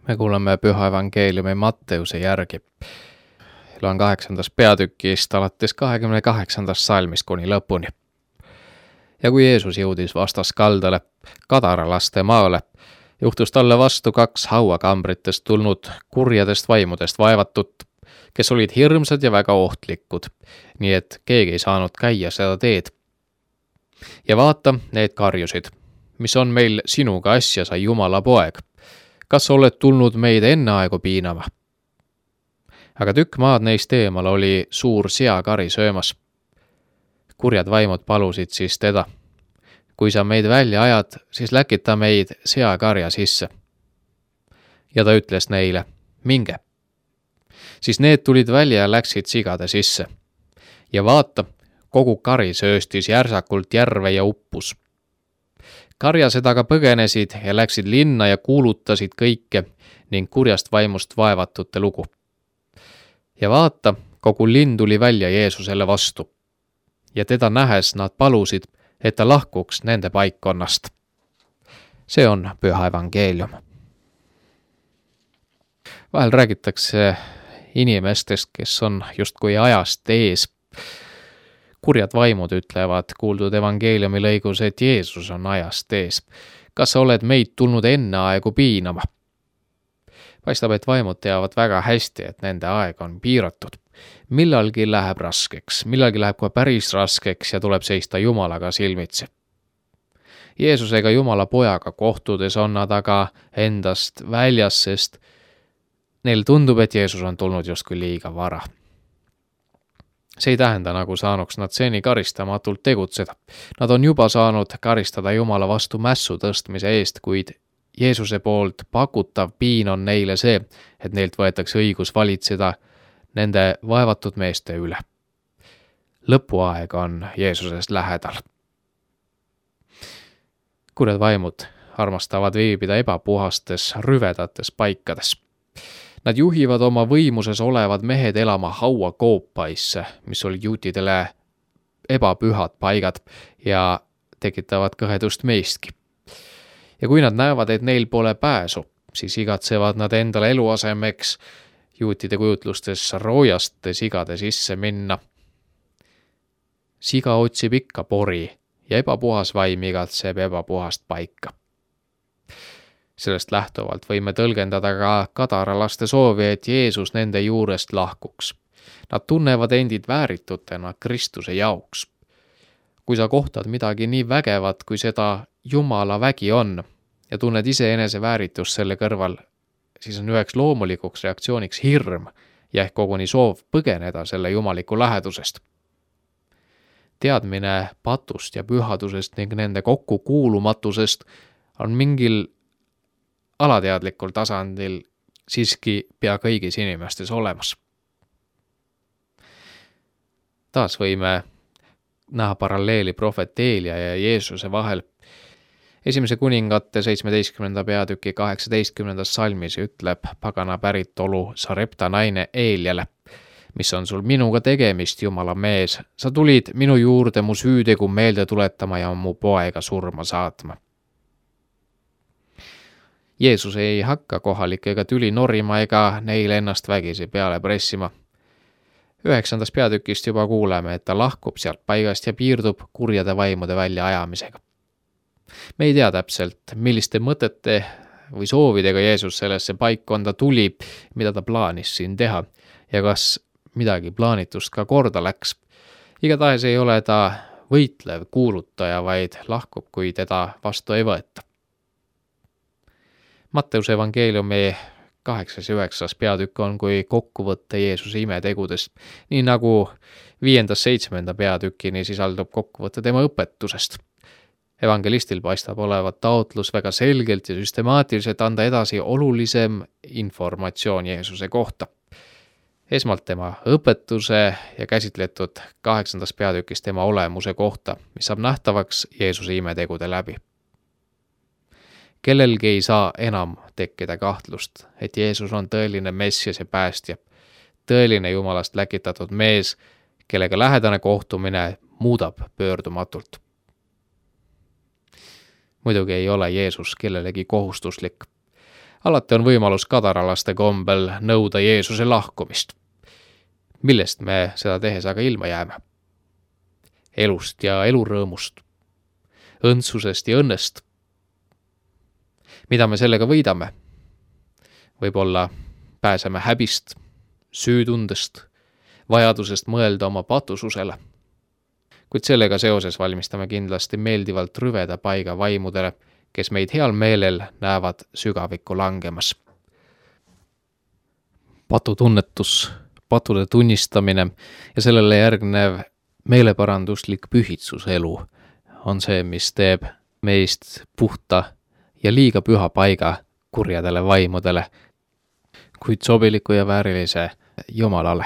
Me kuuleme Püha Evangeeliumi Matteuse järgi. Loen 8. peatükist alates 28. salmist kuni lõpuni. Ja kui Jeesus jõudis vastaskaldale, Kadaralaste maale, juhtus talle vastu 2 hauakambritest tulnud kurjadest vaimudest vaevatut, kes olid hirmsad ja väga ohtlikud, nii et keegi ei saanud käia seda teed. Ja vaata, need karjusid, mis on meil sinuga asja, sa Jumala poeg. Kas oled tulnud meid enne aegu piinama? Aga tükk maad neist eemal oli suur seakari söömas. Kurjad vaimud palusid siis teda. Kui sa meid välja ajad, siis läkita meid seakarja sisse. Ja ta ütles neile, minge. Siis need tulid välja ja läksid sigade sisse. Ja vaata, kogu kari sööstis järsakult järve ja uppus. Karjased aga põgenesid ja läksid linna ja kuulutasid kõike ning kurjast vaimust vaevatute lugu. Ja vaata, kogu linn tuli välja Jeesusele vastu. Ja teda nähes nad palusid, et ta lahkuks nende paikkonnast. See on Püha Evangeelium. Vahel räägitakse inimestest, kes on justkui ajast ees. Kurjad vaimud ütlevad kuuldud evangeeliumi lõigus, et Jeesus on ajast ees. Kas sa oled meid tulnud enne aegu piinama? Paistab, et vaimud teavad väga hästi, et nende aeg on piiratud. Millalgi läheb raskeks, millalgi läheb kohe päris raskeks ja tuleb seista Jumalaga silmitsi. Jeesusega Jumala pojaga kohtudes on nad aga endast väljas, sest neil tundub, et Jeesus on tulnud justkui liiga vara. See ei tähenda, nagu saanuks nad seni karistamatult tegutseda. Nad on juba saanud karistada Jumala vastu mässu tõstmise eest, kuid Jeesuse poolt pakutav piin on neile see, et neilt võetakse õigus valitseda nende vaevatud meeste üle. Lõpuaeg on Jeesusest lähedal. Kurjad vaimud armastavad viibida ebapuhastes, rüvedates paikades. Nad juhivad oma võimuses olevad mehed elama hauakoopaisse, mis olid juutidele ebapühad paigad ja tekitavad kõhedust meistki. Ja kui nad näevad, et neil pole pääsu, siis igatsevad nad endale eluasemeks juutide kujutlustes roojaste sigade sisse minna. Siga otsib ikka pori ja ebapuhas vaim igatseb ebapuhast paika. Sellest lähtuvalt võime tõlgendada ka kadaralaste soovi, et Jeesus nende juurest lahkuks. Nad tunnevad endid vääritutena Kristuse jaoks. Kui sa kohtad midagi nii vägevat, kui seda Jumala vägi on, ja tunned iseenese vääritust selle kõrval, siis on üheks loomulikuks reaktsiooniks hirm ja ehk koguni soov põgeneda selle jumaliku lähedusest. Teadmine patust ja pühadusest ning nende kokkukuulumatusest on mingil alateadlikul tasandil siiski pea kõigis inimestes olemas. Taas võime näha paralleeli prohvet Eelia ja Jeesuse vahel. Esimese kuningate 17. peatüki 18. salmis ütleb pagana päritolu Sarepta naine Eeliale, mis on sul minuga tegemist, Jumala mees, sa tulid minu juurde mu süütegu meelde tuletama ja mu poega surma saatma. Jeesus ei hakka kohalikega tüli norima ega neile ennast vägisi peale pressima. 9. peatükist juba kuuleme, et ta lahkub sealt paigast ja piirdub kurjade vaimude väljaajamisega. Me ei tea täpselt, milliste mõtete või soovidega Jeesus sellesse paikkonda tuli, mida ta plaanis siin teha ja kas midagi plaanitust ka korda läks. Igatahes ei ole ta võitlev kuulutaja, vaid lahkub, kui teda vastu ei võeta. Matteuse evangeeliumi 8. ja 9. peatükk on kui kokkuvõtte Jeesuse imetegudest, nii nagu 5. 7. peatükini sisaldub kokkuvõtte tema õpetusest. Evangelistil paistab olevat taotlus väga selgelt ja süstemaatiliselt anda edasi olulisem informatsioon Jeesuse kohta. Esmalt tema õpetuse ja käsitletud 8. peatükis tema olemuse kohta, mis saab nähtavaks Jeesuse imetegude läbi. Kellelgi ei saa enam tekkida kahtlust, et Jeesus on tõeline Messias ja päästja, tõeline Jumalast läkitatud mees, kellega lähedane kohtumine muudab pöördumatult. Muidugi ei ole Jeesus kellelegi kohustuslik. Alati on võimalus kadaralaste kombel nõuda Jeesuse lahkumist. Millest me seda tehes aga ilma jääme? Elust ja elurõõmust, õndsusest ja õnnest. Mida me sellega võidame? Võib-olla pääseme häbist, süütundest, vajadusest mõelda oma patususele. Kuid sellega seoses valmistame kindlasti meeldivalt rüveda paiga vaimudele, kes meid heal meelel näevad sügavikku langemas. Patutunnetus, patude tunnistamine ja sellele järgnev meeleparanduslik pühitsuselu on see, mis teeb meist puhta ja liiga püha paiga kurjadele vaimudele, kuid sobiliku ja väärilise Jumalale.